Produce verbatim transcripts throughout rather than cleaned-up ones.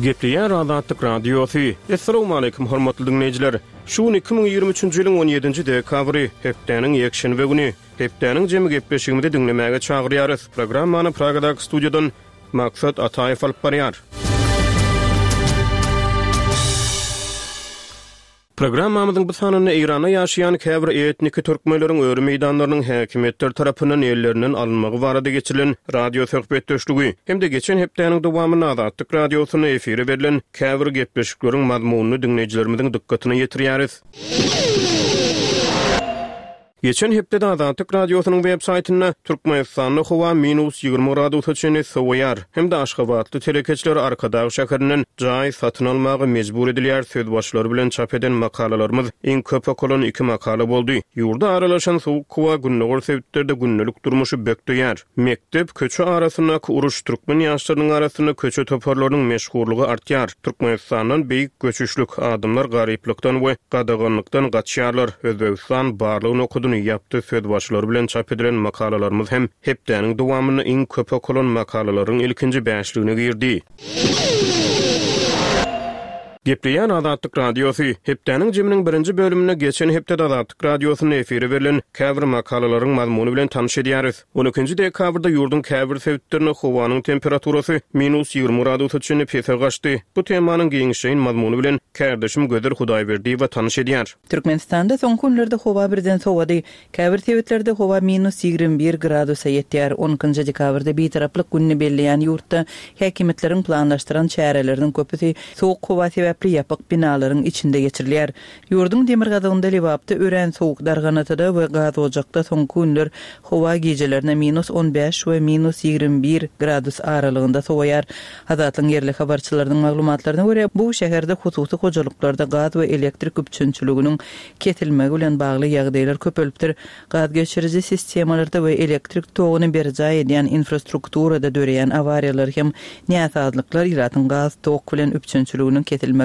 Gepleýär Azatlyk Radiosy. Essalawmaleýkim hormatly diňleýjiler. Şu gün iki müň ýigrimi üçünji ýylyň on ýedinji dekabry, hepdäniň ýekşenbe güni. Hepdäniň jemi gepleşigimizi diňlemäge çagyrýarys. Programmany Pragadaky studiýadan Maksat Ataýew alyp barýar. Programmamyzyň bu sanynda Eýranda ýaşaýan käbir etniki türkmenleriň öri meýdanlarynyň häkimiýetler tarapyndan ellerinden alynmagy barada geçirilen radio söhbetdeşligi hem-de geçen hepdäniň dowamynda Azatlyk Radiosynda efire berlen käbir gepleşikleriň mazmunyny diňleýjilerimiziň dykgatyna ýetirýäris. Geçen hepdede Azatlyk Radiosynyň web saýtynda Türkmenistanda howa minus ýigrimi gradusa çenli sowaýar hem-de aşgabatly telekeçiler Arkadag şäherinden jaý satyn almaga mejbur edilýär sözbaşylary bilen çap eden makalalarymyz iň köp okalan iki makala boldy. Ýurda aralaşan sowuk howa gündogar sebitlerde gündelik durmuşy bökdeýär. Mekdep, köçe arasyndaky uruş türkmen ýaşlarynyň arasynda köçe toparlarynyň meşhurlygy artýar. Türkmenistandan beýik göçüşlik, adamlar garyplykdan we gadaganlykdan gaçýarlar. Özbegistan barlyk nokadyny ýapdy sözbaşylary bilen çap edilen makalalarymyz hem hepdäniň dowamynda iň köp okalan makalalaryň ilkinji bäşligine girdi. Gepleýän Azatlyk Radiosy hepdäniň jeminiň birinji bölüminde geçen hepdede Azatlyk Radiosynda efire berlen käbir makalalaryň mazmuny bilen tanyş edýäris. On ikinji dekabrda ýurduň käbir sebitlerinde howanyň temperaturasy minus ýigrimi gradusa çenli pese gaçdy. Bu temanyň giňişleýin mazmuny bilen kärdeşim Gözel Hudaýberdiýewa tanyş edýär. Türkmenistanda soňky günlerde howa birden sowady. Käbir sebitlerde howa minus ýigrimi bir gradusa ýetýär. On ikinji dekabrda Bitaraplyk gününi belleýän ýurtda häkimiýetleriň planlaşdyran çäreleriniň köpüsi sowuk howa sebäpli ýapyk binalaryň içinde geçirilýär. Ýurduň demirgazygynda Lebapda örän sowuk, Darganatada we Gazojakda soňky günler howa gijelerine minus on bäş we minus ýigrimi bir gradus aralygynda sowaýar. Azatlygyň ýerli habarçylarynyň maglumatlaryna görä, bu şäherde hususy hojalyklarda gaz we elektrik üpjünçiliginiň kesilmegi bilen bagly ýagdaýlar köpelipdir. Gaz geçiriji sistemalarda we elektrik toguny berjaý edýän infrastrukturada döreýän awariýalar hem näsazlyklar ilatyň gaz tok bilen üpjünçiliginiň kesilmegine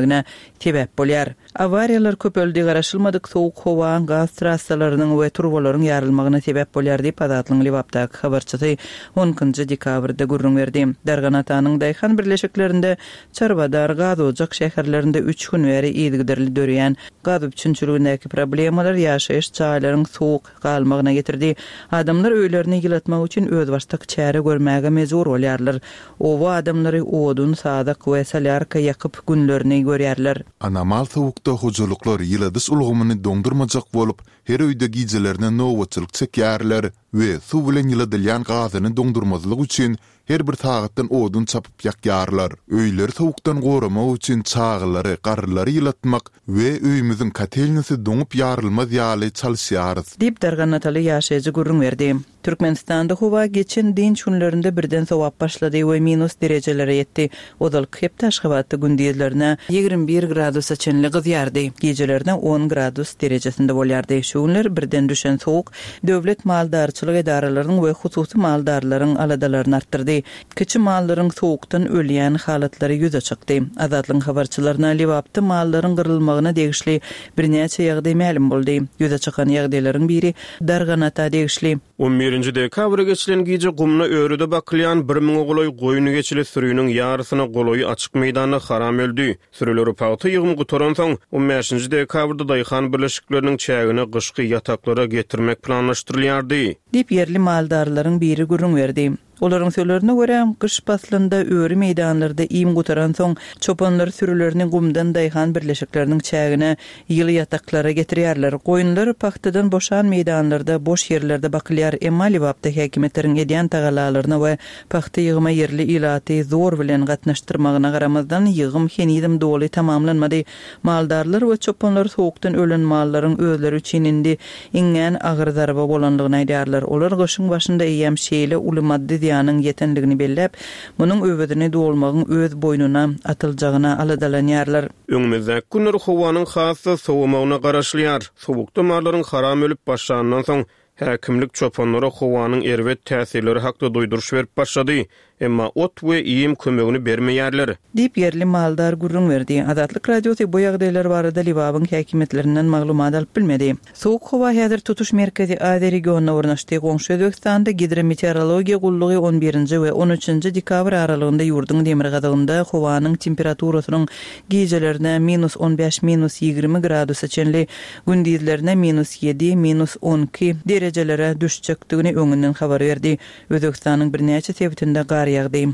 sebäp bolýar. Awariýalar köpeldi, garaşylmadyk sowuk howa gaz trassalarynyň we turbalaryň ýarylmagyna sebäp bolýar diýip Azatlygyň Lebapdaky habarçysy on ikinji dekabrda gürrüň berdi. Darganatanyň daýhan birleşiklerinde Çarwadar, Gazojak şäherlerinde üç gün bäri yzygiderli döreýän gaz üpjünçiligindäki problemalar ýaşaýyş jaýlaryň sowuk galmagyna getirdi. Adamlar öýlerini ýylatmak üçin özbaşdak çäre görmäge mejbur bolýarlar. Oba adamlary odun, sazak we solýarka ýakyp günlerini görýärler. Anomal sowukda hojalyklar ýyladyş ulgamyny doňdurmajak bolup, her öýde gijelerine nobatçylyk çekýärler we suw bilen ýyladylýan gazyny doňdurmazlyk üçin her bir sagatdan odun çapyp ýakýarlar. Öýleri sowukdan goramak üçin çagalary, garrylary ýylatmak we öýümiziň kotelnisi doňup ýarylmaz ýaly çalyşýarys. Diýip Darganataly ýaşaýjy gürrüň berdi. Türkmenistanda howa geçen dynç günlerinde birden sowap başlady we minus derejelere ýetdi. Ozalky hepde Aşgabatda gündizlerine ýigrimi bir gradusa çenli gyzýardy. Gijelerine on gradus derejesinde bolýardy. Şu günler birden düşen sowuk döwlet maldarçylyk edaralarynyň we hususy maldarlaryň aladalaryny artdyrdy. Kiçi mallaryň sowukdan ölýän halatlary ýüze çykdy. Azatlygyň habarçylaryna Lebapda mallaryň gyrylmagyna degişli birnäçe ýagdaý mälim boldy. Ýüze çykan ýagdaýlaryň biri Darganata degişli. On birinji dekabra geçilen gije gumna örüde bakylýan bir müňe golaý goýun geçili sürüniň ýarysyna golaýy açyk meýdanda haram öldi. Sürüleri pagta ýygymy gutaransoň, on bäşinji dekabrda daýhan birleşikleriniň çägine gyşky ýataklara getirmek planlaşdyrylýardy. Diýip ýerli maldarlaryň biri gürrüň berdi. Olaryň sözlerine görä, gyş paslynda öri meýdanlarda iým gutaransoň, çopanlar sürülerini gumdan daýhan birleşikleriniň çägine ýyly ýataklara getirýärler. Goýunlar pagtadan boşan meýdanlarda, boş ýerlerde bakylýar. Emma Lebapda häkimiýetleriň edýän tagalalaryna we pagta ýygyma ýerli ilaty zor bilen gatnaşdyrmagyna garamazdan, ýygym henizem doly tamamlanmady. Maldarlar we çopanlar sowukdan ölen mallaryň özleri üçin indi iňňän agyr zarba bolanlygyny aýdýarlar. Olar gyşyň başynda eýýäm şeýle uly maddy zyýanyň ýetenligini belläp, munuň öwezini dolmagyň öz boýnuna atyljagyna aladalanýarlar. Öňümizdäki günler howanyň has-da sowamagyna garaşylýar. Sowukda mallaryň haram ölüp başlandan soň, häkimlik çopanlara howanyň erbet täsirleri hakda duýduryş berip başlady. Emma ot we iým kömegini bermeýärler. Diýip ýerli maldar gürrüň berdi. Azatlyk Radiosy bu ýagdaýlar barada Lebabyň häkimiýetlerinden maglumat alyp bilmedi. Sowuk howa häzir tutuş Merkezi Aziýa regionyna ornaşdy. Goňşy Özbegistanda gidrometeorologiýa gullugy on birinji we on üçünji dekabr aralygynda ýurduň demirgazygynda howanyň temperaturasynyň gijelerine minus on bäş minus ýigrimi gradusa çenli, gündizlerine minus ýedi minus on iki derejelere düşjekdigini öňünden habar berdi. Özbegistanyň birnäçe sebitinde gar ýagdy.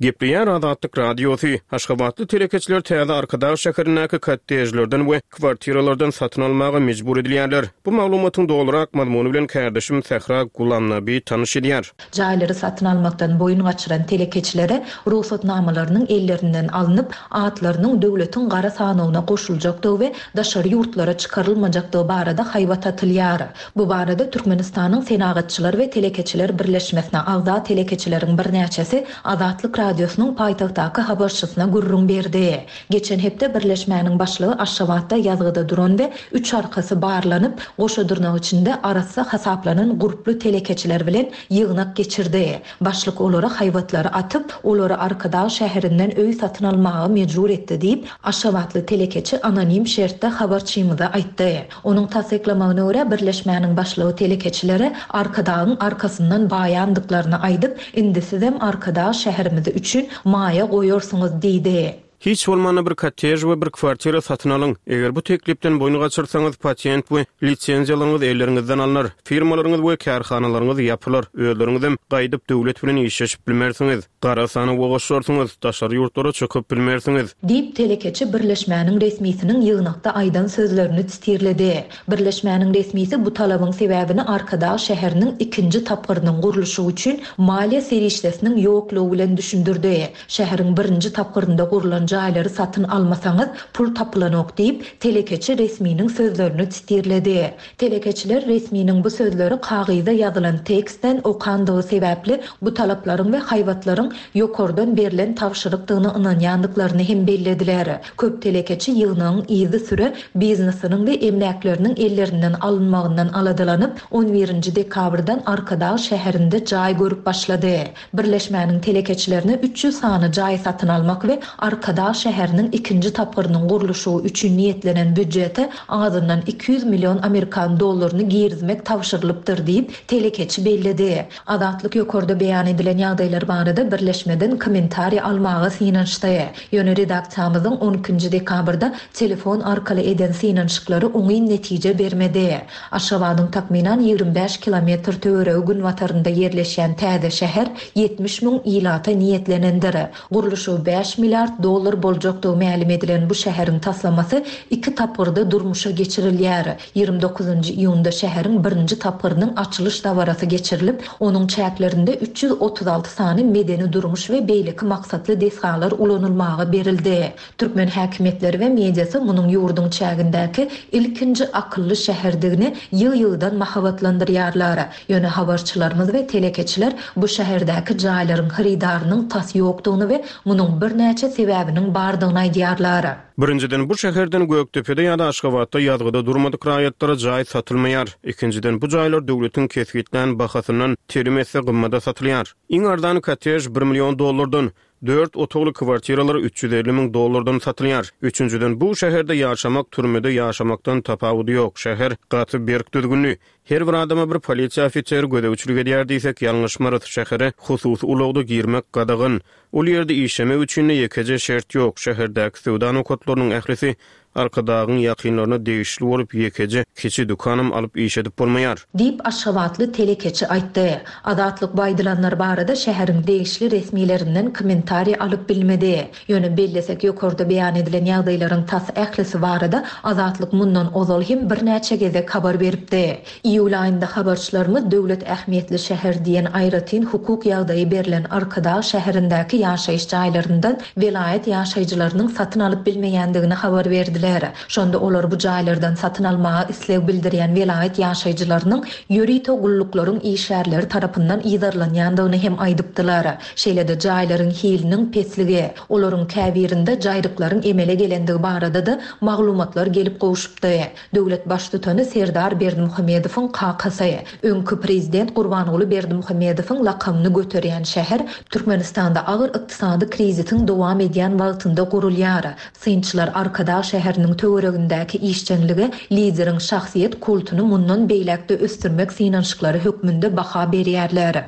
Gepleýär Azatlyk Radiosy. Aşgabatly telekeçiler täze Arkadag şäherindäki kottejlerden we kwartiralardan satyn almaga mejbur edilýärler. Bu maglumatyň dolurak mazmuny bilen kärdeşim Sähra Gulamnabi tanyş edýär. Jaýlary satyn almakdan boýun gaçyran telekeçilere rugsatnamalarynyň ellerinden alnyp, atlarynyň döwletiň gara sanawyna goşuljakdygy we daşary ýurtlara çykarylmajakdygy barada haýbat atylýar. Bu barada Türkmenistanyň Senagatçylar we Telekeçiler Birleşmesine agza telekeçileriň birnäçesi Azatlyk Radiosynyň paýtagtdaky habarçysyna gürrüň berdi. Geçen hepde birleşmäniň başlygy Aşgabatda ýazgyda duran we üç arkasy barlanyp, goşa dyrnak içinde arassa hasaplanan gurply telekeçiler bilen ýygnak geçirdi. Başlyk olara haýbatlary atyp, olary Arkadag şäherinden öý satyn almaga mejbur etdi diýip, Aşgabatly telekeçi anonim şertde habarçymyza aýtdy. Onuň tassyklamagyna görä birleşmäniň başlygy telekeçilere Arkadagyň arkasyndan baýandyklaryny aýdyp, indi sizem Arkadag şäherimizi üçin maýa goýarsyňyz diýdi. Hiç bolmanda bir kottej we bir kwartira satyn alyň. Eger bu teklipden boýun gaçyrsaňyz, patent we lisenziýalaryňyz elleriňizden alnar. Firmalaryňyz we kärhanalaryňyz ýapylar. Özleriňizem gaýdyp döwlet bilen işleşip bilmersiňiz. Gara sanawa goşarsyňyz, daşary ýurtlara çykyp bilmersiňiz. Diýip telekeçi birleşmäniň resmisiniň ýygnakda aýdan sözlerini titirledi. Birleşmäniň resmisi bu talabyň sebäbini Arkadag şäheriniň ikinji tapgyrynyň gurluşy üçin maliýe serişdesiniň ýoklugy bilen düşündirdi. Şäheriň birinji tapgyrynda gurlan jaýlary satyn almasaňyz pul tapylanok diýip telekeçi resminiň sözlerini titirledi. Telekeçiler resminiň bu sözleri kagyza ýazylan tekstden okandygy sebäpli bu talaplaryň we haýbatlaryň ýokardan berlen tabşyrykdygyny ynanýandyklaryny hem bellediler. Köp telekeçi ýygnagyň yzy süre biznesiniň we emläkleriniň ellerinden alynmagyndan aladalanyp, on birinji dekabrdan Arkadag şäherinde jaý görüp başlady. Birleşmäniň telekeçilerine üç ýüz sany jaý satyn almak we Arkadag şäheriniň ikinji tapgyrynyň gurluşy üçin niýetlenen býudjete azyndan iki ýüz million Amerikan dollaryny girizmek tabşyrylypdyr diýip telekeçi belledi. Azatlyk ýokarda beýan edilen ýagdaýlar barada birleşmeden kommentariý almaga synanyşdy. Ýöne redaksiýamyzyň on ikinji dekabrda telefon arkaly eden synanyşyklary oňyn netije bermedi. Aşgabadyň takmynan ýigrimi bäş kilometr töweregi günbatarynda ýerleşýän täze şäher ýetmiş müň ilata niýetlenendir. Gurluşy bäş milliard dollar boljakdygy mälim edilen bu şäheriň taslamasy iki tapgyrda durmuşa geçirilýär. Ýigrimi dokuzynjy iýunda şäheriň birinji tapgyrynyň açylyş dabarasy geçirilip, onuň çäklerinde üç ýüz otuz alty sany medeni durmuş we beýleki maksatly desgalar ulanylmaga berildi. Türkmen häkimiýetleri we mediasy munuň ýurduň çägindäki ilkinji akylly şäherdigini ýyl-ýyldan mahabatlandyrýarlar. Ýöne habarçylarymyz we telekeçiler bu şäherdäki jaýlaryň hyrydarynyň tas ýokdugyny we munuň birnäçe sebäbiniň bardygyny aýdýarlar. Birinjiden bu şäherden Gökdepede ýa-da Aşgabatda ýazgyda durmadyk raýatlara jaý satylmaýar. Ikinjiden bu jaýlar döwletiň kesgitlän bahasyndan telim etse gymmada satylýar. Iň arzan kottej bir million dollardan, dört otagly kwartiralar üç ýüz elli müň dollardan satylýar. Üçünjiden bu şäherde ýaşamak türmede ýaşamakdan tapawudy ýok. Şäher gaty berk düzgünli. Her bir adama bir polisiýa ofiseri gözegçilik edýär diýsek ýalňyşmarys. Şähere hususy ulagda girmek gadagan. Ol ýerde işlemek üçin de ýekeje şert ýok. Şäherdäki söwda nokatlarynyň ählisi Arkadagyň ýakynlaryna degişli bolup ýekeje kiçi dükanam alyp iş edip bolmaýar. Diýip Aşgabatly telekeçi aýtdy. Azatlyk baýdylanlar barada şäheriň degişli resmilerinden kommentariý alyp bilmedi. Ýöne bellesek ýokarda beýan edilen ýagdaýlaryň tas ählisi barada Azatlyk mundan ozal hem birnäçe gezek habar beripdi. Iýul aýynda habarçylarymyz döwlet ähmiýetli şäher diýen aýratyn hukuk ýagdaýy berlen Arkadag şäherindäki ýaşaýyş jaýlaryndan welaýat ýaşaýjylarynyň satyn alyp bilmeýändigini habar berdiler. geldiler. Şonda olar bu jaýlardan satyn almaga isleg bildirýän welaýat ýaşaýjylarynyň ýörite gulluklaryň işgärleri tarapyndan yzarlanýandygyny hem aýdypdylar. Şeýle-de jaýlaryň hiliniň pesligi, olaryň käbirinde jaýryklaryň emele gelendigi barada-da maglumatlar gelip gowşupdy. Döwlet Baştutany Serdar Berdimuhamedowyň kakasy, öňki prezident Gurbanguly Berdimuhamedowyň lakamyny göterýän şäher Türkmenistanda agyr ykdysady krizisiň dowam edýän wagtynda gurulýar. Synçylar Arkadag şäheriniň töweregindäki işjeňlige lideriň şahsyýet kultuny mundan beýläk-de ösdürmek synanyşyklary hökmünde baha berýärler.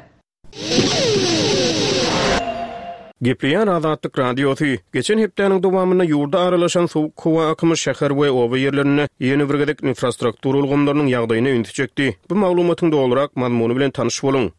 Gepleýär Azatlyk Radiosy. Geçen hepdäniň dowamynda ýurda aralaşan sowuk howa akymy şäher we oba ýerlerinde ýene bir gezek infrastruktura ulgamlarynyň ýagdaýyna ünsi çekdi. Bu maglumatyň dolurak mazmuny bilen tanyş boluň.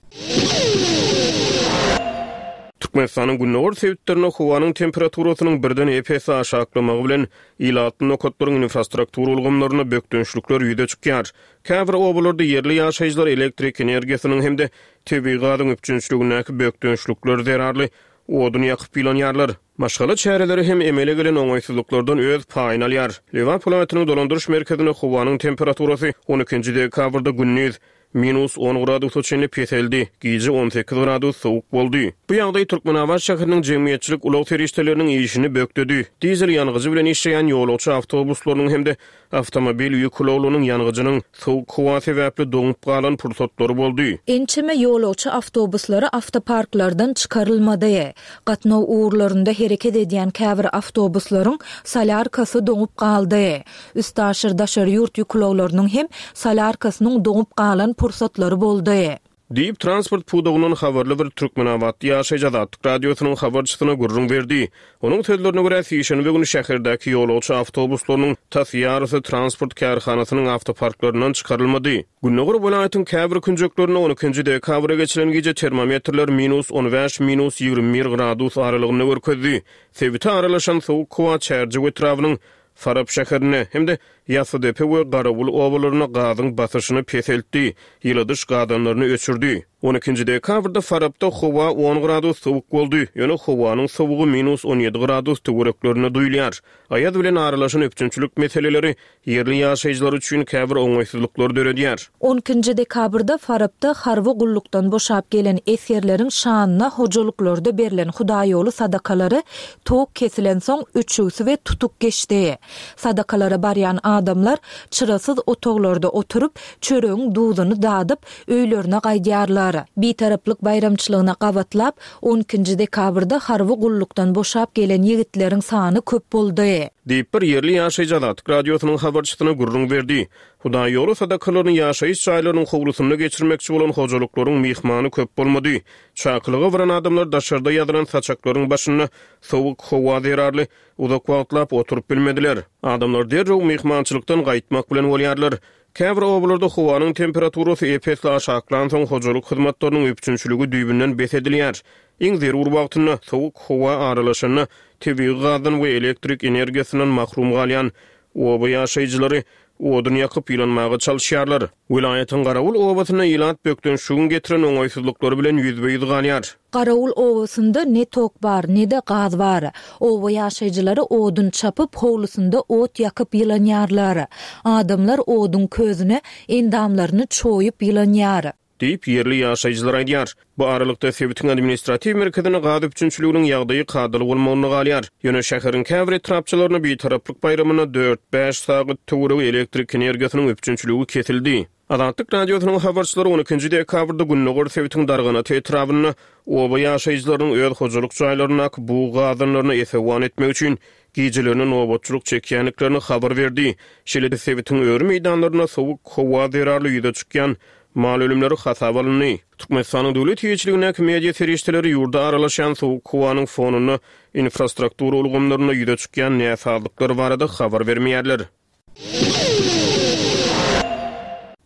Türkmenistanyň gündogar sebitlerinde howanyň temperaturasynyň birden ep-esli aşaklamagy bilen ilatly nokatlaryň infrastruktura ulgamlarynda bökdençlikler ýüze çykýar. Käbir obalarda ýerli ýaşaýjylar elektrik energiýasynyň hem-de tebigy gazyň üpjünçiligindäki bökdençlikler zerarly odun ýakyp ýylanýarlar. Maşgala çäreleri hem emele gelen oňaýsyzlyklardan öz paýyny alýar. Lebap welaýatynyň dolandyryş merkezinde howanyň temperaturasy on ikinji dekabrda gündiz minus on gradusa çenli peseldi, gije on sekiz gradus sowuk boldy. Bu ýagdaý Türkmenabat şäheriniň jemgyýetçilik ulag serişdeleriniň işini bökdedi. Dizel ýangyjy bilen işleýän ýolagçy awtobuslarynyň hem-de awtomobil ýük ulaglarynyň ýangyjynyň sowuk howa sebäpli doňup galan pursatlary boldy. Ençeme ýolagçy awtobuslary awtoparklardan çykarylmady. Gatnaw ugurlarynda hereket edýän käbir awtobuslaryň solýarkasy doňup galdy. Üstaşyr daşary ýurt ýük ulaglarynyň hem solýarkasynyň doňup galan pursatlary boldy. Diýip, transport pudagyndan habarly bir Türkmenabatly ýaşaýjy Azatlyk Radiosynyň habarçysyna gürrüň berdi. Onuň sözlerine görä, sişenbe güni şäherdäki ýolagçy awtobuslarynyň tas ýarysy transport kärhanasynyň awtoparklaryndan çykarylmady. Gündogar welaýatyň käbir künjeklerinde on ikinji dekabra geçilen gije termometrler minus on bäş, minus ýigrimi bir gradus aralygynda görkezdi. Sebite aralaşan sowuk howa Çärjew etrabynyň Farap şäherinde hem-de Ýassydepe we Garawul obalarynda gazyň basyşyny peseltdi, ýyladyş gazanlaryny öçürdi. On ikinji dekabrda Farapda howa on gradus sowuk boldy, ýöne howanyň sowugy minus on ýedi gradus töwereklerinde duýulýar. Aýaz bilen aralaşan üpjünçilik meseleleri ýerli ýaşaýjylar üçin käbir oňaýsyzlyklary döredýär. On ikinji dekabrda Farapda harby gullukdan boşap gelen esgerleriň şanyna hojalyklarda berlen hudaýoly sadakalary tok kesilen soň öçügsi we tutuk geçdi. Sadakalara barýan adamlar çyrasyz otaglarda oturyp, çöregiň duzuny dadyp, öýlerine gaýdýarlar. Bitaraplyk baýramçylygyna gabatlap, on ikinji dekabrda harby gullukdan boşap gelen ýigitleriň sany köp boldy. Diýip bir ýerli ýaşaýjy Azatlyk Radiosynyň habarçysyna gürrüň berdi. Hudaýoly sadakalaryny ýaşaýyş jaýlarynyň howlusynda geçirmekçi bolan hojalyklaryň myhmany köp bolmady. Çakylyga baran adamlar daşarda ýazylan saçaklaryň başynda sowuk howa zerarly uzak wagtlap oturyp bilmediler. Adamlar derrew myhmançylykdan gaýtmak bilen bolýarlar. Käbir obalarda howanyň temperaturasy ep-esli aşaklansoň hojalyk hyzmatlarynyň üpjünçiligi düýbünden bes edilýär. Iň zerur wagtynda sowuk howa aralaşanda tebigy gazdan we elektrik energiýasyndan mahrum galýan oba ýaşaýjylary odun ýakyp ýylanmaga çalyşýarlar. Welaýatyň Garawul obasynda ilat bökdençligiň getiren oňaýsyzlyklary bilen ýüzbe-ýüz galýar. Garawul obasynda ne tok bar, ne de gaz bar. Oba ýaşaýjylary odun çapyp, howlusynda ot ýakyp ýylanýarlar. Adamlar odun közüne endamlaryny çoýup ýylanýar. Diýip ýerli ýaşaýjylar aýdýar. Bu aralykda sebitiň administratiw merkezinde gaz üpjünçiliginiň ýagdaýy kadaly bolmagyna galýar. Ýöne şäheriň käbir etrapçalaryna bitaraplyk baýramyna dört-bäş sagat töweregi elektrik energiýasynyň üpjünçiligi kesildi. Azatlyk Radiosynyň habarçylary on ikinji dekabrda Gündogar sebitiň Darganata etrabynda oba ýaşaýjylarynyň öz hojalyk jaýlaryndaky bug gazanlaryna esewan etmek üçin gijelerine nobatçylyk çekýändiklerini habar berdi. Şeýle-de sebitiň öri meýdanlarynda sowuk howa zerarly ýüze çykýan mal ölümleri hasaba alyndy. Türkmenistanyň döwlet eýeçiligindäki media serişdeleri ýurda aralaşan sowuk howanyň fonunda infrastruktura ulgamlarynda ýüze çykýan näsazlyklar barada habar bermeýärler.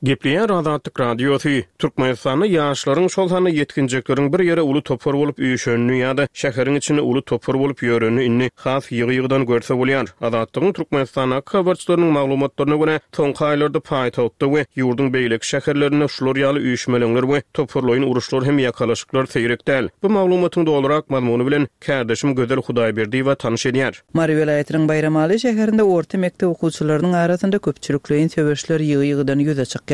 Gepleýär Azatlyk Radiosy, Türkmenistanda ýaşlaryň, şol sanda ýetginjekleriň bir ýere uly topar bolup üýşenini ýa-da şäheriň içinde uly topar bolup ýörenini indi has ýygy-ýygydan görse bolýar. Azatlygyň Türkmenistandaky habarçylarynyň maglumatlaryna görä, soňky aýlarda paýtagtda we ýurduň beýleki şäherlerinde şular ýaly üýşmeleňler we toparlaýyn uruşlar hem ýakalaşyklar seýrek däl. Bu maglumatyň dolurak mazmuny bilen kärdeşim Gözel Hudaýberdiýewa tanyş edýär. Mary welaýatynyň Baýramaly şäherinde orta mekdep okuwçylarynyň arasynda köpçülikleýin söweşler ýygy-ýygydan ýüze çykýar.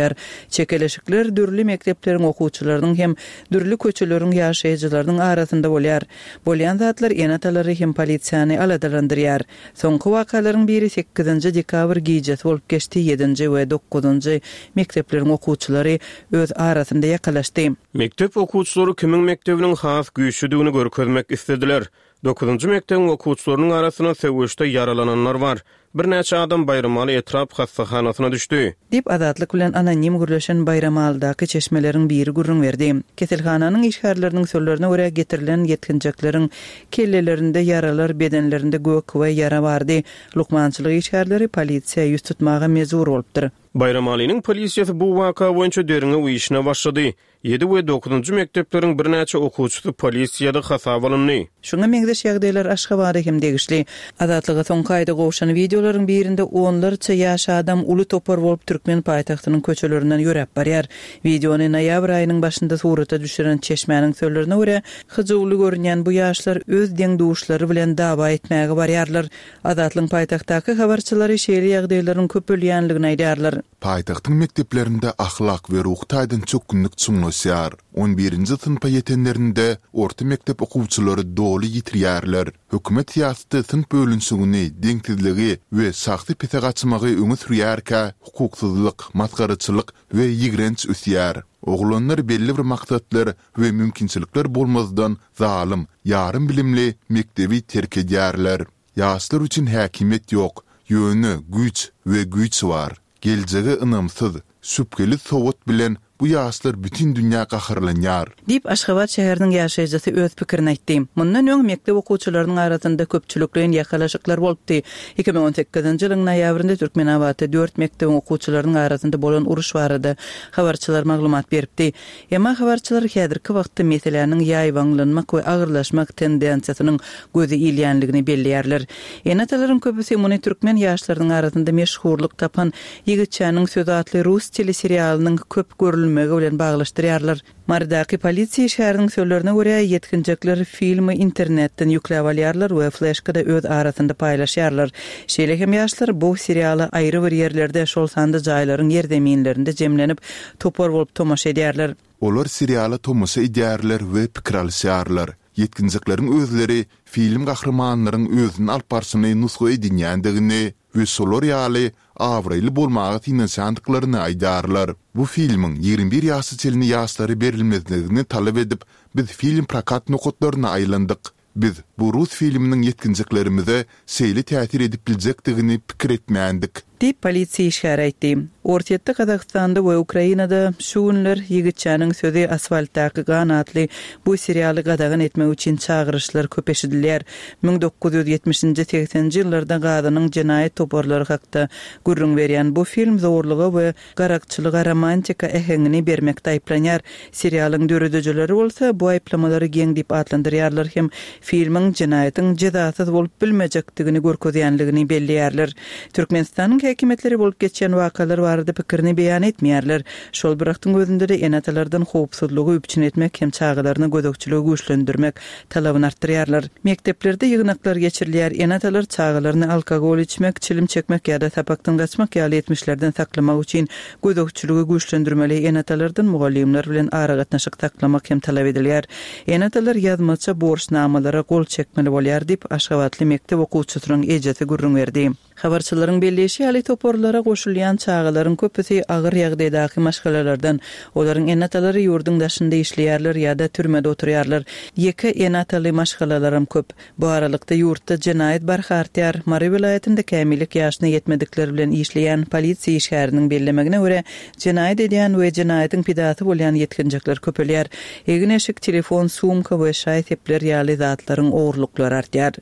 Çekeleşikler dürli mekdepleriň okuwçylarynyň hem dürli köçeleriň ýaşaýjylarynyň arasynda bolýar. Bolýan zatlar ene-atalary hem polisiýany aladalandyrýar. Soňky wakalaryň biri sekizinji dekabr gijesi bolup geçdi, ýedinji we dokuzynjy mekdepleriň okuwçylary öz arasynda ýakalaşdy. Mekdep okuwçylary kimiň mekdebiniň has güýçlüdigini görkezmek islediler. Dokuzynjy mekdebiň okuwçylarynyň arasynda söweşde ýaralananlar bar. Birnäçe adam Baýramaly etrap hassahanasyna düşdi. Diýip, Azatlyk bilen anonim gürleşen Baýramalydaky çeşmeleriň biri gürrüň berdi. Keselhananyň işgärleriniň sözlerine görä, getirilen ýetginjekleriň kellelerinde ýaralar, bedenlerinde gök we ýara bardy. Lukmançylyk işgärleri polisiýa ýüz tutmaga mejbur bolupdyr. Baýramalynyň polisiýasy bu waka boýunça derňew işine başlady. Ýedi we dokuzynjy mekdepleriň birnäçe okuwçysy polisiýada hasaba alyndy. Şuňa meňzeş ýagdaýlar Aşgabada hem degişli. Azatlyga soňky aýda gowşan wideolaryň birinde onlarça ýaş adam uly topar bolup türkmen paýtagtynyň köçelerinden ýöräp barýar. Wideony noýabr aýynyň başynda surata düşüren çeşmäniň sözlerine görä, hyjuwly görünýän bu ýaşlar öz deň-duşlary bilen dawa etmäge barýarlar. Azatlygyň paýtagtdaky habarçylary şeýle ýagdaýlaryň köpelýänligini aýdýarlar. Paýtagtyň mekdeplerinde ahlak we ruhy taýdan çökgünlik çuňlaşýar. On birinji synpa ýetenlerinde orta mekdep okuwçylary doly ýitirýärler. Hökümet syýasaty synp bölünişigini, deňsizligi we şahsy pese gaçmagy öňe sürýärkä, hukuksyzlyk, masgaraçylyk we ýigrenç ösýär. Oglanlar belli bir maksatlar we mümkinçilikler bolmazdan zalym, ýarym bilimli mekdebi terk edýärler. Ýaşlar üçin häkimiýet ýok, ýöne güýç we güýç bar. Geljege ynamsyz, şübheli sowat bilen bu ýaşlar bütin dünýä gaharlanýar. Diýip, Aşgabat şäheriniň ýaşaýjysy öz pikirini aýtdy. Mundan öň mekdep okuwçylarynyň arasynda köpçülikleýin ýakalaşyklar bolupdy. Iki müň on sekizinji ýylyň noýabrynda Türkmenabatda dört mekdebiň okuwçylarynyň arasynda bolan uruş barada habarçylar maglumat beripdi. Emma habarçylar häzirki wagtda meseläniň ýaýbaňlanmak we agyrlaşmak tendensiýasynyň gözi ilýänligini belleýärler. Ene-atalaryň köpüsi muny türkmen ýaşlarynyň arasynda meşhurlyk tapan Ýigitçäniň sözi atly rus teleserialynyň köp görülmegi bilen baglaşdyrýarlar. Marydaky polisiýa işgäriniň sözlerine görä, ýetginjekler filmi internetden ýükläp alýarlar we fleşkada öz arasynda paýlaşýarlar. Şeýle hem ýaşlar bu seriala aýry bir ýerlerde, şol sanda jaýlaryň ýerzeminlerinde jemlenip, topar bolup tomaşa edýärler. Olar seriala tomaşa edýärler we pikir alyşýarlar. Ýetginjekleriň özleri film gahrymanlaryň özüni alyp barşyny nusga edinýändigini we şolar ýaly abraýly bolmaga synanyşandyklaryny aýdýarlar. Bu filmiň ýigrimi bir ýaşa çenli ýaşlara berilmezligini talap edip, biz film prokat nokatlaryna aýlandyk. Biz bu rus filminiň ýetginjeklerimize şeýle täsir edip biljekdigini pikir etmändik. Diýip, polisiýa işgäri aýtdy. Orsýetde, Gazagystanda we Ukrainada şu günler Ýigitçäniň sözi asfaltdaky gan atly bu serialy gadagan etmek üçin çagyryşlar köp eşidilýär. Müň dokuz ýüz ýetmişinji, segseninji ýyllarda Gazanyň jenaýat toparlary hakda gürrüň berýän bu film zorluga we garakçylyga romantika äheňini bermekde aýyplanýar. Serialyň döredijileri bolsa bu aýyplamalary geň diýip atlandyrýarlar hem filmiň jenaýatyň jezasyz bolup bilmejekdigini görkezýänligini belleýärler. Türkmenistanyň häkimiýetleri bolup geçýän wakalar barada pikirini beýan etmeýärler. Şol bir wagtyň özünde-de ene-atalardan howpsuzlygy üpjün etmek hem çagalaryna gözegçiligi güýçlendirmek talabyny artdyrýarlar. Mekdeplerde ýygnaklar geçirilýär, ene-atalar çagalaryny alkogol içmek, çilim çekmek ýa-da sapakdan gaçmak ýaly etmişlerden saklamak üçin gözegçiligi güýçlendirmeli, ene-atalardan mugallymlar bilen aragatnaşyk saklamak hem talap edilýär. Ene-atalar ýazmaça borçnamalara gol çekmeli bolýar diýip, aşgabatly mekdep okuwçysynyň ejesi gürrüň berdi. Habarçylaryň belleýşi ýaly, toparlara goşulýan çagalaryň köpüsi agyr ýagdaýdaky maşgalalardan. Olaryň ene-atalary ýurduň daşynda işleýärler ýa-da türmede oturýarlar. Ýeke ene-ataly maşgalalaram köp. Bu aralykda ýurtda jenaýat barha artýar. Mary welaýatynda kämillik ýaşyna ýetmedikler bilen işleýän polisiýa işgäriniň bellemegine görä, jenaýat edýän we jenaýatyň pidasy bolýan ýetginjekler köpelýär. Egin-eşik, telefon, sumka we şaý-sepler ýaly zatlaryň ogurlyklary artýar.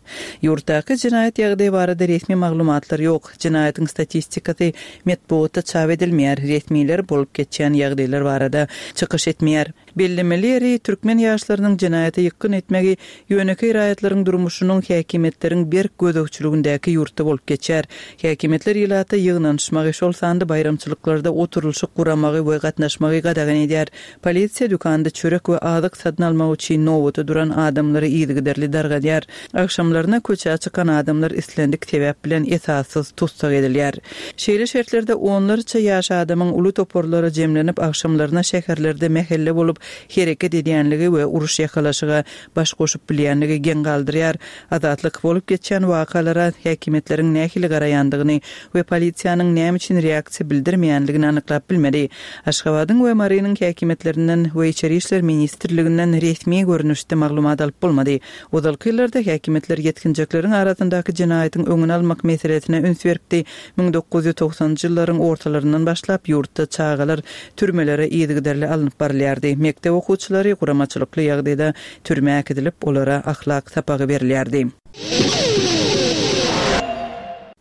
Ýurtdaky jenaýat ýagdaýy barada resmi maglumatlar Maglumatlar ýok. Jenaýatyň statistikasy metbugatda çap edilmeýär. Resmiler bolup geçýän ýagdaýlar barada çykyş etmeýär. Bellemeli ýeri türkmen ýaşlarynyň jenaýata ýykgyn etmegi ýönekeý raýatlaryň durmuşynyň häkimiýetleriň berk gözegçiligindäki ýurtda bolup geçýär. Häkimiýetler ilata ýygnanyşmagy, şol sanda baýramçylyklarda oturylyşyk guramagy we gatnaşmagy gadagan edýär. Polisiýa dükanda çörek we azyk satyn almak üçin nobata duran adamlary yzygiderli dargadýar. Agşamlaryna köçä çykan adamlar islendik sebäp bilen esassyz tussag edilýär. Şeýle şertlerde onlarça ýaş adamyň uly toparlara jemlenip agşamlaryna şäherlerde mähelle bolup hereket edýänligi we uruş ýakalaşyga baş goşup bilýänligi geň galdyrýar. Azatlyk bolup geçýän wakalara häkimiýetleriň nähili garaýandygyny we polisiýanyň näme üçin reaksiýa bildirmeýänligini anyklap bilmedi. Aşgabadyň we Marynyň häkimiýetlerinden we Içeri işler ministrliginden resmi görnüşde maglumat alyp bolmady. Ozalky ýyllarda häkimiýetler ýetginjekleriň arasyndaky jenaýatyň öňüni almak meselesine üns beripdi. Müň dokuz ýüz togsanjy ýyllaryň ortalaryndan başlap ýurtda çagalar türmelere yzygiderli alnyp barylýardy. Mekdep okuwçylary guramaçylykly ýagdaýda türmä äkidilip, olara ahlak sapagy berilýärdi.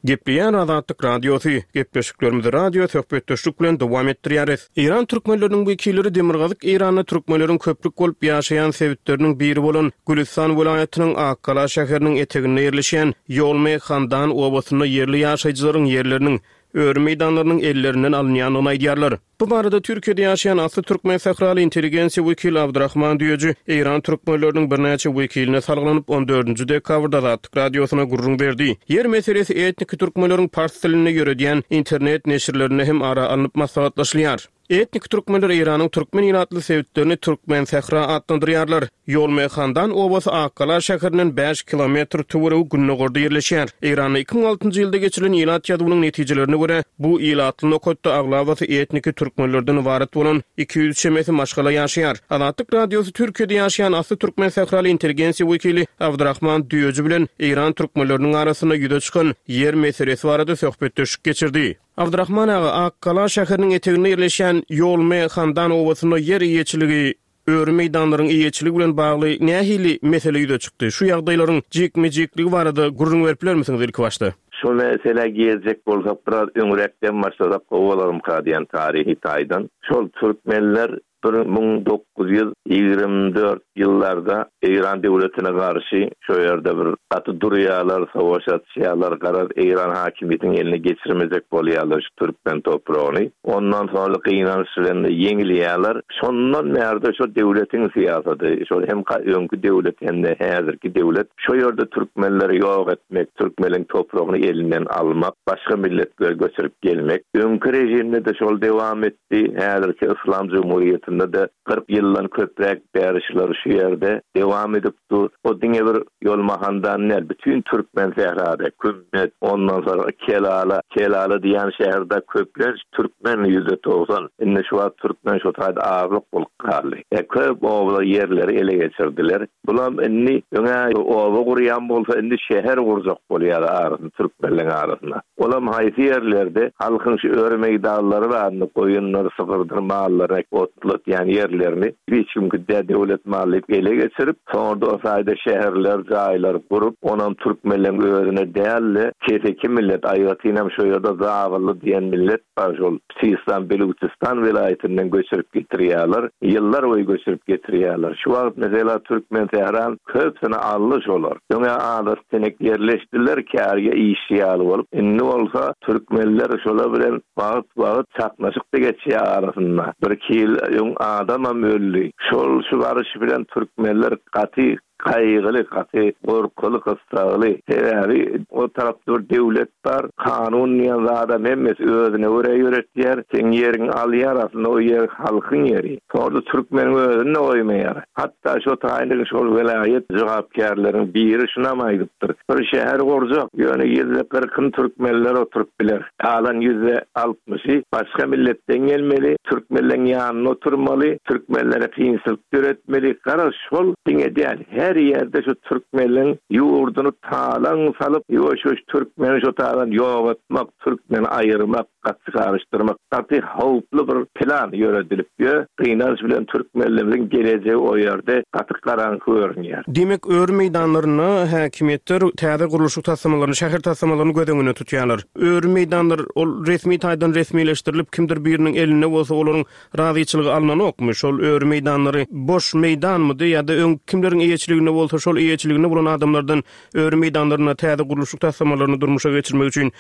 Gepleýän Azatlyk Radiosy, gepleşiklerimizi radio söhbetdeşlik bilen dowam etdirýäris. Eýran türkmenleriniň wekilleri Demirgazyk Eýranda türkmenleriň köplük bolup ýaşaýan sebitleriniň biri bolan Gülistan welaýatynyň Akgala şäheriniň eteginde ýerleşýän Ýolme Handan obasynda ýerli ýaşaýjylaryň ýerleriniň öri meýdanlarynyň ellerinden alynýandygyny aýdýarlar. Bu barada Türkiýede ýaşaýan asly türkmen sähraly intelligensiýa wekili Abdurrahman Düýeji Eýran türkmenleriniň birnäçe wekiline salgylanyp on dördünji dekabrda Azatlyk Radiosyna gürrüň berdi. Ýer meselesi etniki türkmenleriň pars dilinde ýöredýän internet neşirlerinde hem ara alnyp maslahatlaşylýar. Etnik türkmenler Eýranyň türkmen ilatly sebitlerini Türkmen sähra atlandyrýarlar. Ýolme Handan obasy Akgala şäherinden bäş kilometr töweregi gündogarda ýerleşýär. Eýranda iki müň altynjy ýylda geçirilen ilat ýazuwynyň netijelerine görä, bu ilatly nokatda aglabasy etniki türkmenlerden ybarat bolan iki ýüz çemesi maşgala ýaşaýar. Azatlyk Radiosy Türkiýede ýaşaýan asly türkmen sähraly intelligensiýa wekili Abdurrahman Düýeji bilen Eýran türkmenleriniň arasynda ýüze çykan ýer meselesi barada söhbetdeşlik geçirdi. Abdurrahman aga, Akgala şäheriniň eteginde ýerleşýän Ýolme Handan obasynda ýer eýeçiligi, öri meýdanlaryň eýeçiligi bilen bagly nähili mesele ýüze çykdy? Şu ýagdaýlaryň jikme-jikligi barada gürrüň berip bilermisiňiz ilki başda? Şu mesele girjek bolsak biraz öňräkden başlasak gowy bolarmyka diýen tarihi taýdan. Şol türkmenler bir müň dokuz ýüz ýigrimi dört ýyllarda Eýran döwletine garşy şu ýerde bir gaty durýarlar, savaş açýarlar, garaz Eýran hakimiýetiniň eline geçirmejek bolýarlar şu türkmen topragyny. Ondan sonra gynanç bilen ýeňilýärler. Şondan bärde şu döwletiň syýasaty, şol hem öňki döwlet hem de häzirki döwlet şu ýerde türkmenleri ýok etmek, türkmeniň topragyny elinden almak, başga milletleri göçürip gelmek. Öňki rejimde de şol dewam etdi. Häzirki Islam Cumhuriyetinde de kyrk ýyldan köpräk bärişler şu ýerde dewam edip dur. O diňe bir Ýolmahandan däl, bütün türkmen sährada, Kümmet, ondan sonra Kelala, Kelala diýen şäherde köplenç türkmen ýüzde togsan. Indi şu wagt türkmen şu taýda azlyk bolup galdy. E, köp obalar ýerleri ele geçirdiler. Bulam indi öňe oba gurýan bolsa indi şäher gurjak bolýar arasynda, türkmenleň arasynda. Olam haýsy ýerlerde halkyň şu öri meýdanlary barny, goýunlar, sygyrdyr, mallary otlatýan ýerlerini hiç kim küdä döwlet maly ele geçirip, soňra da o taýda şäherler, jaýlar gurup, onam türkmenleň özüne däl-de, keseki millet, aýratynam şu ýerde Zabylly diýen millet bar, şol Sistan, Beluçistan welaýatyndan göçürip getirýärler, ýyllar boýy göçürip getirýärler. Şu wagt mesela Türkmen Tähran köpsüni aldy şolar. Öňe adat tenek ýerleşdiler, kärge işçi ýaly bolup. Indi bolsa türkmenler şolar bilen wagt-wagt çaknaşyk da geçýär arasynda. Bir iki ýyl öň adamam öldi. Şol şu baryş bilen türkmenler gaty kaýgyly, gaty gorkuly, gyssaly. Sebäbi o tarapda bir döwlet bar, kanun diýen zada hemmesi özüne görä ýöretýär. Sen ýeriňi alýar, aslynda o ýer halkyň ýeri. Sonra türkmeniň özüni goýmaýar. Hatta şu taýynda şol welaýat jogapkärleriň biri şuna aýdypdyr. Bir şäher gurjak, ýöne ýüzde kyrkyn türkmenler oturyp biler. Galan ýüzde altmyşy başga milletden gelmeli, türkmenleň ýanynda oturmaly, türkmenlere kynçylyk döretmeli. Garaz şol diňe däl, her Her ýerde şu türkmeniň ýurduny talaň salyp, ýuwaş-ýuwaş türkmeni şu taýdan ýok etmek, türkmeni aýyrmak, gaty garyşdyrmak gaty howply bir plan ýöredilip ýör. Gynanç bilen türkmenlerimiziň gelejegi o ýerde gaty garaňky görünýär. Diýmek, öri meýdanlarynda häkimiýetler täze gurluşyk taslamalaryny, şäher taslamalaryny göz öňünde tutýarlar. Öri meýdanlar ol resmi taýdan resmileşdirilip, kimdir biriniň elinde bolsa, olaryň razyçylygy alnanokmy? Şol öri meýdanlary boş meýdanmydy ýa-da öň kimleriň eýeçiliginde bolsa, şol eýeçiliginde bolan adamlardan öri meýdanlarynda täze gurluşyk taslamalaryny durmuşa geçirmek üçin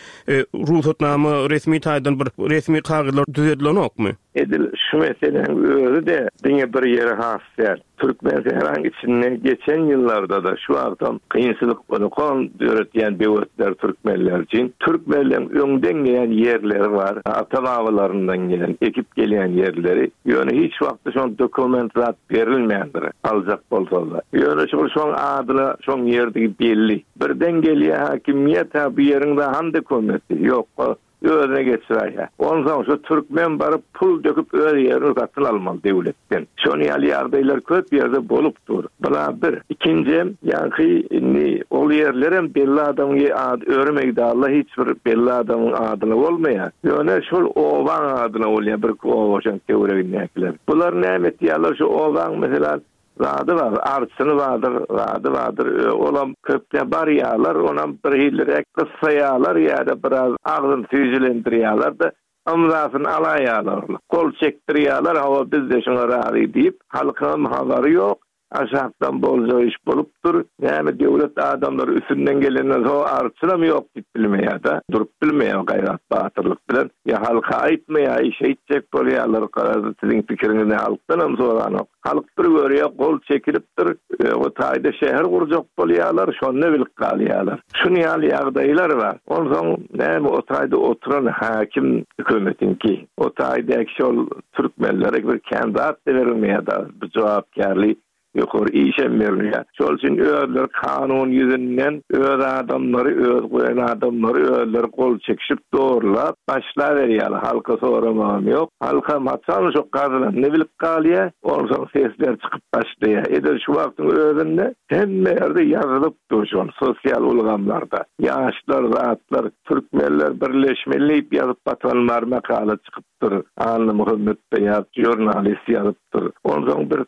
rugsatnama, resmi taýdan bir resmi kagyzlar düzedilenokmy? Edil şu meseläniň özi-de diňe bir ýere has däl. Türkmensähranyň içinde geçen ýyllarda-da şu wagtam kynçylyk unukan döretýän böwetler türkmenler üçin. Türkmenleň öňden gelen ýerleri bar, ata-babalaryndan gelen, ekip gelýän ýerleri. Ýöne hiç wagtda şoň dokument zat berilmändir, aljak bolsalar. Ýöne şol şoň adyna şoň ýerdigi belli. Birden gelýär hakimiýet, ha bu ýeriň dahan dokumenti ýok. Özüne geçiräýýär. Onsoň şu türkmen baryp pul döküp öz ýerini satyn almaly döwletden. Şonuň ýaly ýagdaýlar köp ýerde bolup dur. Bula bir. Ikinji, ýaňky indi ol ýerlerem belli adamyň ady öri meýdanla hiç bir belli adamyň adyna bolmaýar. Ýöne şol obaň adyna bolýar bir oba şoň töweregindäkiler. Bular näme etýärler şu obaň mesela zady bar, arçyny bardyr, zady bardyr, olam köpde barýarlar, onam bir hillirek gyssaýarlar ýa-da biraz agzyn süýjülendirýärler-de, ymzasyny alaýarlar. Gol çekdirýärler, hawa biz de şoňa razy diýip, halkyň habary ýok, aşakdan bolja iş bolupdyr. Näme döwlet adamlary üstünden gelenden soň arçynam ýok diýip bilmeýär-de, durup bilmeýär gaýrat batyrlyk bilen. Ýa halka aýtmaýar, iş etjek bolýarlar, garaz siziň pikiriňizi halkdan hem soranok. Halk bir görýär, gol çekilipdir, o taýda şäher gurjak bolýarlar, şonda bilip galýarlar. Şuny ýaly ýagdaýlar bar. Onsoň näme o taýda oturan hakim hökümetiňki, o taýda şol türkmenlere bir kandidat berilmeýär da, bu jogapkärli ýokary işem berilýär. Şol üçin özleri kanun ýüzünden öz adamlary, öz goýan adamlary özleri gol çekişip dogurlap başla berýärler. Halka soramagam ýok. Halka haçan şo gazylanyny bilip galýar, onsoň sesler çykyp başlaýar. Edil şu wagtyň özünde hemme ýerde ýazylyp dur şol sosial ulgamlarda. Ýaşlar, zatlar, türkmenler birleşmeli diýip ýazyp batanlar makala çykypdyr. Anna Muhammed Beýat jurnalist ýazypdyr. Onsoň bir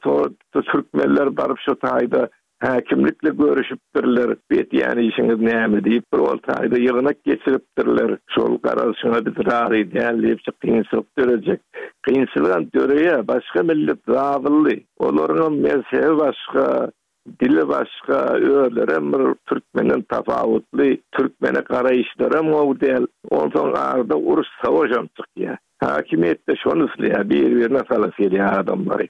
türkmenler baryp şu taýda häkimlikle görüşüpdirler. Betýän işiňiz näme diýip bir ol taýda ýygnak geçiripdirler. Şol garaz şoňa biz razy däl diýip kynçylyk dörejek. Kynçylygam döreýär. Başga millet zabylly. Olaryň mezhebi başga, dili başga, özlerem bir türkmenden tapawutly, türkmene garaýyşlaram gowy däl. Onsoň arada uruş savaşam çykýar. Hakimiýetde şony isleýär, bir-birine salyp gelýär adamlary.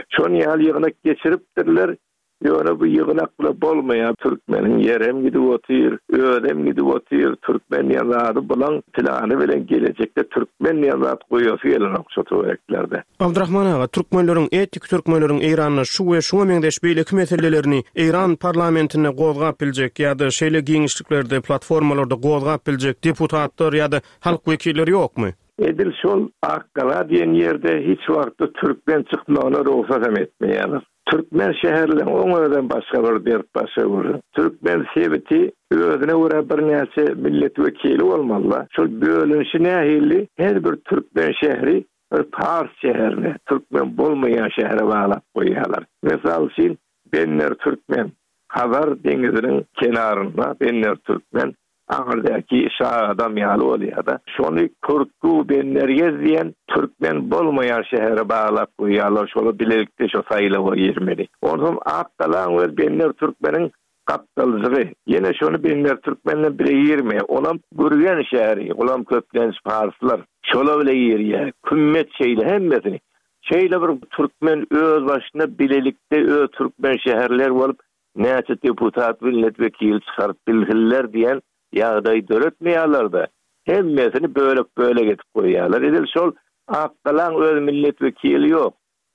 Şony ýaly ýygnak geçiripdirler. Ýöne bu ýygnakla bolmaýar. Türkmeniň ýerem gidip otyr, özem gidip otyr. Türkmen diýen zady bulan plany bilen gelejekde türkmen diýen zat goýasy gelenok şu töwereklerde. Abdurrahman aga, türkmenleriň, etnik türkmenleriň Eýranda şu we şuňa meňzeş beýleki meselelerini Eýran parlamentinde gozgap biljek ýa-da şeýle giňişliklerde, platformalarda gozgap biljek deputatlar ýa-da halk wekilleri ýokmy? Edil şol Akgala diýen ýerde hiç wagtda türkmen çykmagyna rugsat hem etmeýärler. Türkmen şäherleri oň özem başga bir dert, başga bir. Türkmen sebiti özüne görä birnäçe millet wekili bolmaly. Şol bölünişi nähili? Her bir türkmen şäheri bir pars şäherine, türkmen bolmaýan şähere baglap goýýarlar. Mysal üçin Benner Türkmen, Hazar deňiziniň kenarynda Benner Türkmen, aňyrdaki şah adam ýaly bolýar-da. Şony Kürtku Bennergez diýen türkmen bolmaýan şähere baglap goýýarlar. Şolar bilelikde şo saýlawa girmeli. Onsoň Akgalaň we Benner Türkmeniň gapdalyjygy. Ýene şony Benner Türkmenle bile girmeýär. Olam Gürgen şäheri, olam köplenç parslar. Şola bile girýär. Kümmet şeýle hemmesini. Şeýle bir türkmen öz başyna bilelikde öz türkmen şäherler bolup näçe deputat millet wekili çykaryp bilsinler diýen ýagdaý döretmeýärler-de. Hemmesini bölek-bölek edip goýýarlar. Edil şol Akgalaň öz millet wekili ýok.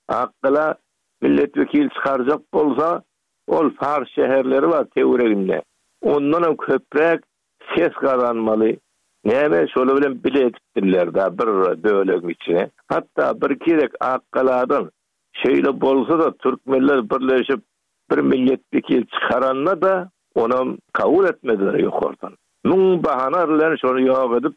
Akgala millet wekili çykarjak bolsa, ol pars şäherleri bar töwereginde. Ondan hem köpräk ses gazanmaly. Näme şolar bilen bile edipdirler da bir bölegiň içine. Hatda bir kerek Akgaladan şeýle bolsa da türkmenler birleşip Bir milletwekil çykaranda-da, onam kabul etmediler ýokardan. Müň bahana bilen şony ýok edip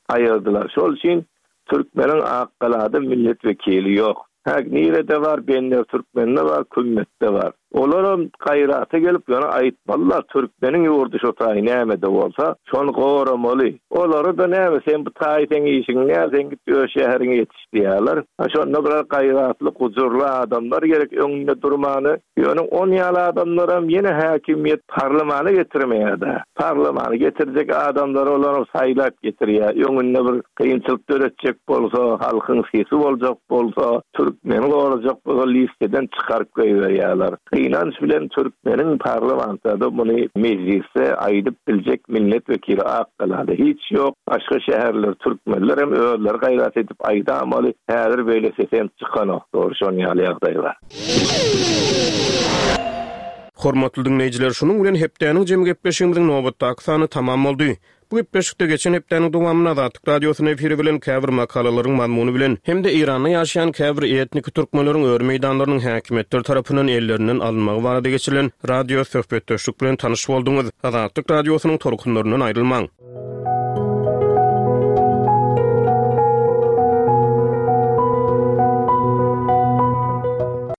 aýyrdylar. Şol üçin türkmeniň Akgalada milletwekili ýok. Hä, nirede bar, Bender Türkmende bar, Kümmetde bar. Olaram gaýrata gelip, ýöne aýtmalylar, türkmeniň ýurdy şo taý näme-de bolsa, şony goramaly. Olary-da näme, sen bu taý seň işiň däl, sen git öz şäheriňe ýetiş diýýärler. Ha, şonda biraz gaýratly, gujurly adamlar gerek öňünde durmany. Ýöne on ýaly adamlaram ýene häkimiýet parlamana getirmeýär-dä. Parlamana getirjek adamlary olaram saýlap getirýär. Öňünde bir kynçylyk döretjek bolsa, halkyň sesi boljak bolsa, türkmeni gorajak bolsa listeden çykaryp goýberýärler. Gynanç bilen türkmeniň parlamentde muny mejlisde aýdyp biljek milletwekili Akgalada hiç ýok. Başga şäherler türkmenler hem özleri gaýrat edip aýdamaly. Häzir beýle sesem çykanok. Dogry şon ýaly ýagdaý bar. Hormatly diňleýjiler, şunuň bilen hepdäniň jem gepleşigimiziň nobatdaky sany tamam boldy. Bu gepleşikde geçen hepdäniň dowamynda Azatlyk Radiosynyň efiri bilen käbir makalalaryň mazmuny bilen hem-de Eýranda ýaşaýan käbir etnik türkmenleriň öri meýdanlarynyň häkimiýetler tarapyndan ellerinden alynmagy barada geçirilen radio söhbetdeşlik bilen tanyş bolduňyz. Azatlyk Radiosynyň tolkunlaryndan aýrylmaň.